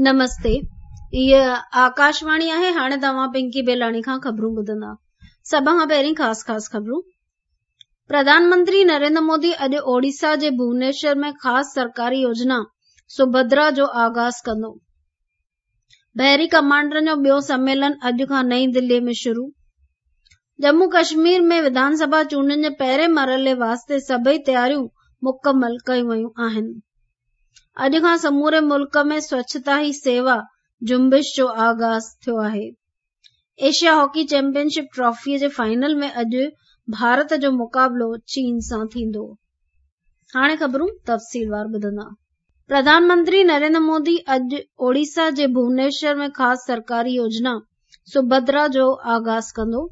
نمستي هيء آڪاشواڻي آهي هاڻي توهان پنڪي بيلاڻي کان خبرون ٻڌندا سڀ کان پهرين خاص خاص خبرون پرڌان منتري نريندر مودي اڄ اوڙيسا جي ڀونيشور ۾ خاص سرڪاري يوجنا سڀدرا جو آغاز ڪندو بحري ڪمانڊرن جو ٻيو سميلن اڄ کان نئين دلي ۾ شروع ڄمون ڪشمير ۾ وڌان سڀا چونڊن جي پهرين مرحلي واسطي سڀئي تياريون مڪمل ڪيون ويون آهن اڄ کان سموري ملڪ ۾ سوڇتا هي سيوا جنبش جو آغاز ٿيو آهي. Asia hockey champion ship trophy جي فائنل ۾ اڄ ڀارت جو مقابلو چين سان ٿيندو. هاڻي خبرون تفصيلوار ٻڌندا. پرڌان منتري نريندر مودي اڄ اوڙيسا جي ڀونيشور ۾ خاص سرڪاري يوجنا سڀدرا جو آغاز ڪندو.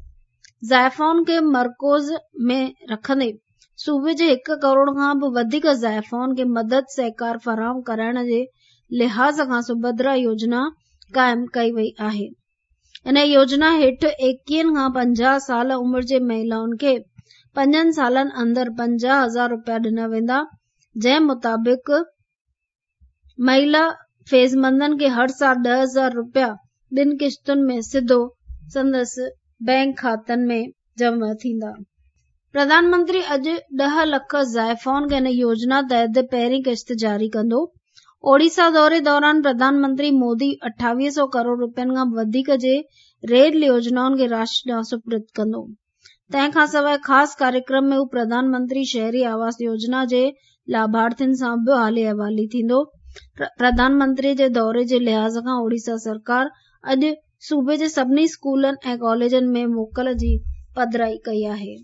زائفائن کي مرڪوز ۾ رکندي صوبي جي هڪ ڪروڙ کان به وڌيڪ زائفائن کي مدد سهڪار فراهم ڪرائڻ جي لحاظ کان سڀدرا يوجنا قائم ڪئي وئي آهي. ان يوجنا هيٺ ايڪيهن کان 50 سال عمر جي مهلائن کي پنجن سالن اندر 50 هزار رپيا ڏنا ويندا، جنهن مطابق مهلا فيضمندن کي هر سال 10,000 رپيا ٻن قسطن ۾ سڌو سندس بئنڪ کاتن ۾ جمع ٿيندا. پرڌان منتري اڄ 10 لک زائفائن کي هن يوجنا تحت پهرين قسط جاري ڪندو. اوڙيسا دوري دوران پرڌان منتري مودي 2800 ڪروڙ رپين کان وڌيڪ جي ريل يوجنائن کي راشٽر ڏانهن سپرد ڪندو. تنهن کان سواء خاص ڪاريڪرم ۾ هو پرڌان منتري شهري آواس يوجنا جي لاڀارٿين سان به حالي احوالي ٿيندو. پرڌان منتري جي دوري جي لحاظ کان اوڙيسا سرڪار اڄ صوبي جي سڀني اسڪولن ۽ ڪاليجن ۾ موڪل جي پڌرائي ڪئي آهي.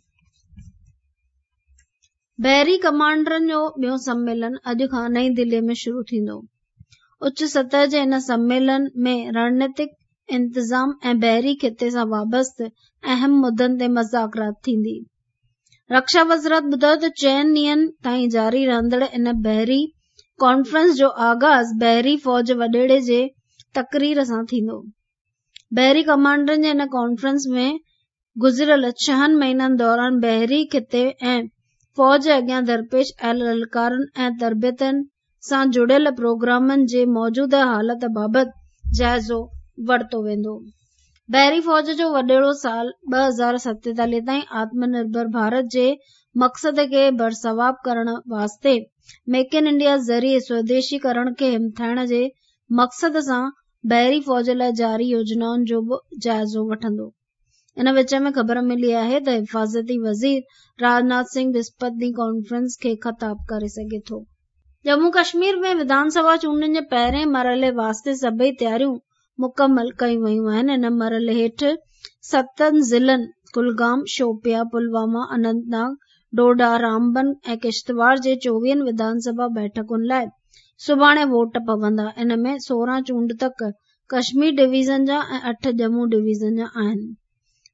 بحري ڪمانڊرن جو ٻيو سميلن اڄ کان نئين دهلي ۾ شروع ٿيندو. اچ سطح جي ان سميلن ۾ رڻنيتڪ انتظام ۽ بحري خطي سان وابسته اهم مدن تي مذاڪرات ٿيندي. رڪشا وزارت ٻڌايو ته چئن ڏينهن تائين جاري رهندڙ ان بحري ڪانفرنس جو آغاز بحري فوج وڏيري جي تقرير سان ٿيندو. بحري ڪمانڊرن جي ان ڪانفرنس ۾ گذريل ڇهن مهينن دوران بحري خطي ۽ فوج اڳيان درپيش آيل للڪارن ۽ تربيتن سان جڙيل پروگرامن جي موجوده حالت بابت جائزو ورتو ويندو. بحري فوج جو وڏيرو سال 2047 تائين آتم نرڀر ڀارت جي مقصد کي برثواب ڪرڻ واسطي ميڪ ان انڊيا ذريعي سوديشي ڪرڻ کي همٿائڻ جي مقصد سان بحري فوج لاء جاري يوجنائن جو به جائزو وٺندو. ان وچ ۾ خبر ملي آهي ته حفاظتي وزير راجناٿ سنگهه وسپت ڏينهن ڪانفرنس کي خطاب ڪري سگهي ٿو. ڄمون ڪشمير ۾ وڌان سڀا چونڊن جي پهرين مرحلي واسطي سڀئي تياريون مڪمل ڪيون ويون آهن. ان مرحلي هيٺ ستن ضلعن ڪلگام، شوپيان، پلواما، اننت ناگ، ڊوڊا، رامبن ۽ ڪشتواڙ جي چوويهن وڌان سڀا بيٺڪن لاء سڀاڻي ووٽ پوندا. ان ۾ 16 چونڊ تڪ ڪشمير ڊويزن جا ۽ 8 ڄمون ڊويزن جا آهن.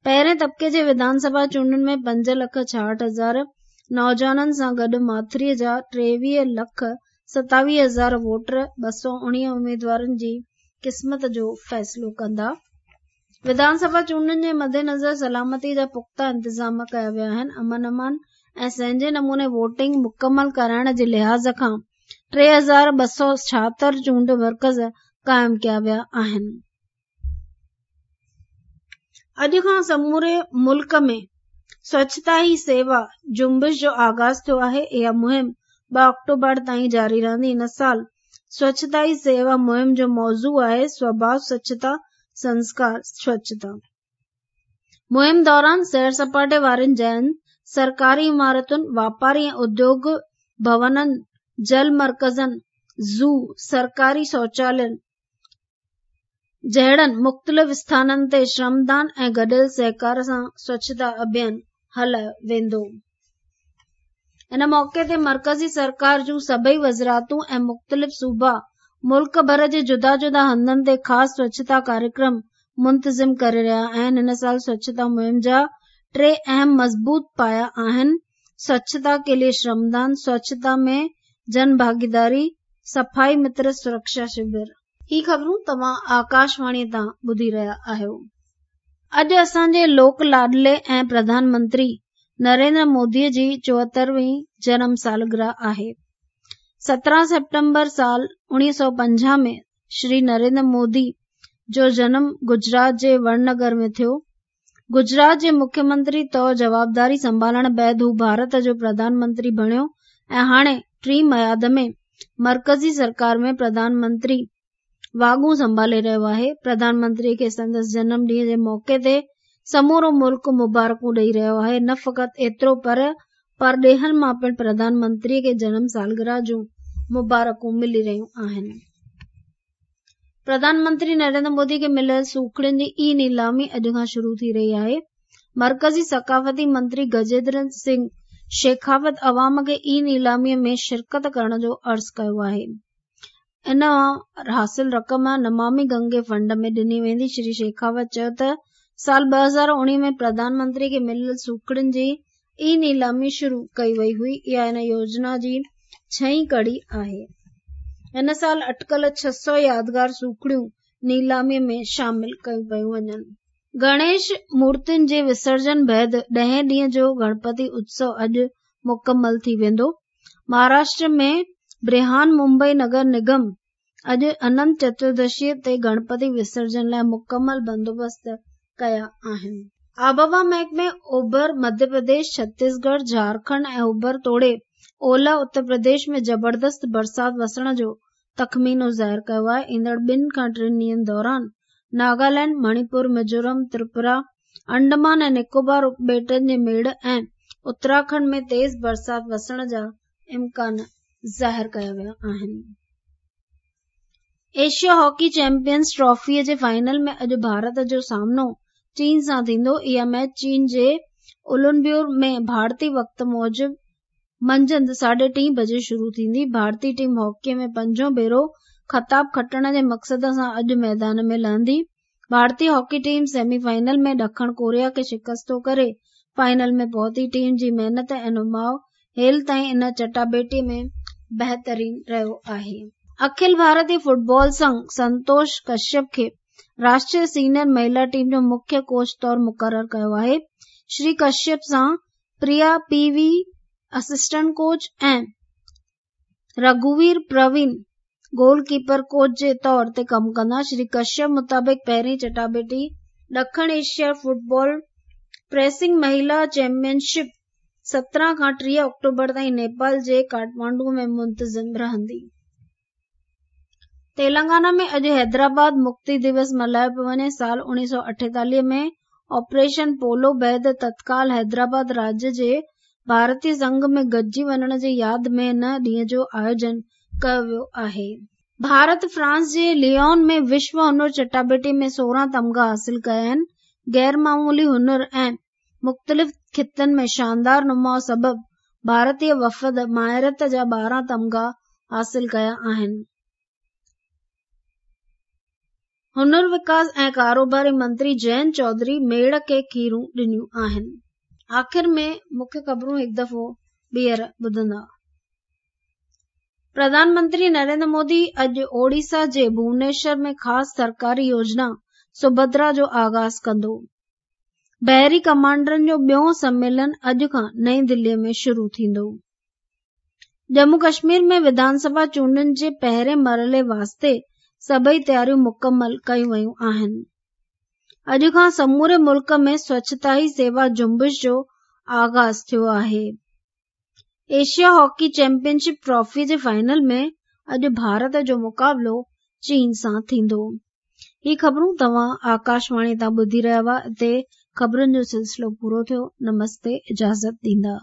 پهرين طبقي جي وڌان سڀا چونڊن ۾ 5 لک 66 هزار نوجوانن سان گڏ ماٿري جا 23 لک 27 هزار ووٽر 219 اميدوارن جي قسمت جو فيصلو ڪندا. وڌان سڀا چونڊن جي مدنظر سلامتي جا پختا انتظام ڪيا ويا آهن. امن امان ۽ سهنجي نموني ووٽنگ مڪمل ڪرائڻ جي لحاظ کان 3276 چونڊ مرڪز قائم ڪيا ويا آهن. اڄ کان سموري ملڪ ۾ سوڇتا هي سيوا جنبش جو آغاز ٿيو آهي. اها مهم 2 آڪٽوبر تائين جاري رهندي. هن سال سوڇتا هي سيوا مهم جو موضوع آهي سوڀاء سوڇتا سنسڪار سوڇتا. مهم دوران سير سپاٽي وارين جاين، سرڪاري عمارتن، واپاري ۽ اديوگ ڀونن، جل مرڪزن، زو، سرڪاري شوچالين جهڙن مختلف اسٿانن تي شرمدان ۽ گڏيل سهڪار سان سوڇتا اڀيان هلايو ويندو. ان موقعي تي مرڪزي سرڪار جون سڀئي وزارتون ۽ مختلف صوبا ملڪ ڀر جي جدا جدا هنڌن تي خاص سوڇتا ڪاريڪرم منتظم ڪري رهيا آهن. هن سال سوڇتا مهم جا ٽي اهم مضبوط پايا آهن، سوڇتا ڪي لئي شرمدان، سوڇتا ۾ جن ڀاڳيداري، صفائي متر سرڪشا شور. هي خبرون توهان آڪاشواڻي تان ٻڌي رهيا آهيو. اڄ اسان جي لوڪ لاڏلي ۽ پرڌان منتري نريندر مودي جي 74 وين جنم سالگرهه آهي. 17 سيپٽمبر سال 1950 ۾ شري نريندر مودي جو جنم گجرات جي وڙنگر ۾ ٿيو. گجرات جي مکيه منتري طور جوابداري سنڀالڻ بعد هو ڀارت جو پرڌان منتري بڻيو ۽ هاڻي ٽين ميعاد ۾ مرڪزي سرڪار ۾ پرڌان منتري واڳون سنڀالي رهيو آهي. پرڌان منتري کي سندس جنم ڏينهن جي موقعي تي سمورو ملڪ مبارڪون ڏئي رهيو آهي. نه فقط ايترو پر پرڏيهن مان پڻ پرڌان منتري کي جنم سالگرهه جون مبارڪون ملي رهيون آهن. پرڌان منتري نريندر مودي کي مليل سوکڙين جي اي نيلامي اڄ کان شروع ٿي رهي آهي. مرڪزي ثقافتي منتري گجيندر سنگهه شيخاوت عوام کي اي نيلامي ۾ شرڪت ڪرڻ جو عرض ڪيو آهي. ان مان حاصل رقم نمامي گنگي فنڊ ۾ ڏني ويندي. شري شيخاوت چيو ته سال 2019 ۾ پرڌان منتري کي مليل سوکڙين جي اي نيلامي شروع ڪئي وئي هئي، اها ان يوجنا جي ڇهين ڪڙي آهي. هن سال اٽڪل 600 يادگار سوکڙيون نيلامي ۾ شامل ڪيون پيون وڃن. گڻيش مورتين جي وسرجن بعد ڏهين ڏينهن جو گڻپتي اتسو اڄ مڪمل ٿي ويندو. مهاراشٽر ۾ برهان ممبئي نگر نگم اڄ اننت چتردشيء تي گڻپتي وسرجن لاء مڪمل بندوبست ڪيا آهن. آبهوا محڪمي اوڀر مڌيه پرديش، ڇتيسڳڙهه، جهارکنڊ ۽ اوڀر توڙي اولهه اتر پرديش ۾ زبردست برسات وسڻ جو تخمينو ظاهر ڪيو آهي. ايندڙ ٻن کان ٽن ڏينهن دوران ناگالينڊ، مڻيپور، ميزورم، تريپورا، انڊمان ۽ نڪوبار اپٻيٽن جي ميڙ ۽ اتراکنڊ ۾ تيز برسات وسڻ جا امڪان ظاهر ڪيا ويا آهن. ايشيا هاڪي چيمپيئنز ٽرافي جي فائنل ۾ اڄ ڀارت جو سامنو چين سان ٿيندو. اها ميچ چين جي اولونبيور ۾ ڀارتي وقت موجب منجهند ساڍي ٽين بجي شروع ٿيندي. ڀارتي ٽيم هاڪي ۾ پنجون ڀيرو خطاب کٽڻ جي مقصد سان اڄ ميدان ۾ لهندي. ڀارتي هاڪي ٽيم سيمي فائنل ۾ ڏکڻ ڪوريا کي شڪستو ڪري فائنل ۾ پهتي. ٽيم جي محنت ۽ نماء هيل تائين ان چٽاڀيٽي ۾ بهترين رهيو آهي. اکل ڀارتي فٽبال سنگهه سنتوش ڪشيپ کي راشٽريه سينيئر مهيلا ٽيم جو مکيه ڪوچ طور مقرر ڪيو آهي. شري ڪشيپ سان Priya P V assistant coach ۽ رگهوير Parveen goal keeper coach جي طور تي ڪم ڪندا. شري ڪشيپ مطابق پهرين چٽاڀيٽي ڏکڻ ايشيا فٽبال پريسنگ مهيلا چيمپيئن شپ 17 کان 30 آڪٽوبر تائين نيپال جي ڪاٺمانڊو ۾ منتظم رهندي. تيلنگانا ۾ اڄ حيدرآباد مڪتي دوس ملهايو پيو وڃي. سال 1948 ۾ آپريشن پولو بعد تتڪال حيدرآباد راڄ جي ڀارتي سنگهه ۾ گڏجي وڃڻ جي ياد ۾ هن ڏينهن جو آيوجن ڪيو ويو آهي. ڀارت فرانس جي ليون ۾ وشو هنر چٽاڀيٽي ۾ 16 تمغا حاصل ڪيا آهن. غير معمولي هنر ۽ مختلف خطن ۾ شاندار نماء سبب ڀارتي وفد ماهرت جا 12 تمغا حاصل ڪيا آهن. هنر وڪاس ۽ ڪاروباري منتري جئنت چوڌري ميڙ کي کيرون ڏنيون آهن. آخر ۾ مکيه خبرون هڪ دفعو ٻيهر ٻڌندا. پرڌان منتري نريندر مودي اڄ اوڙيسا جي ڀونيشور ۾ خاص سرڪاري يوجنا سڀدرا جو آغاز ڪندو. بحري ڪمانڊرن جو ٻيون سميلن اڄ کان نئين دهلي ۾ شروع ٿيندو. ڄمون ڪشمير ۾ وڌان سڀا چونڊن جي پهرين مرحلي واسطي سڀئي تياريون مڪمل ڪيون ويون آهن. اڄ کان سموري ملڪ ۾ سوڇتا هي سيوا جنبش جو آغاز ٿيو آهي. Asia hockey champion ship trophy جي فائنل ۾ اڄ ڀارت جو مقابلو چين سان ٿيندو. هي خبرون توهان آڪاشواڻي تان ٻڌي رهيا هئا. اتي خبرن جو سلسلو پورو ٿيو. نمستي اجازت ڏيندا.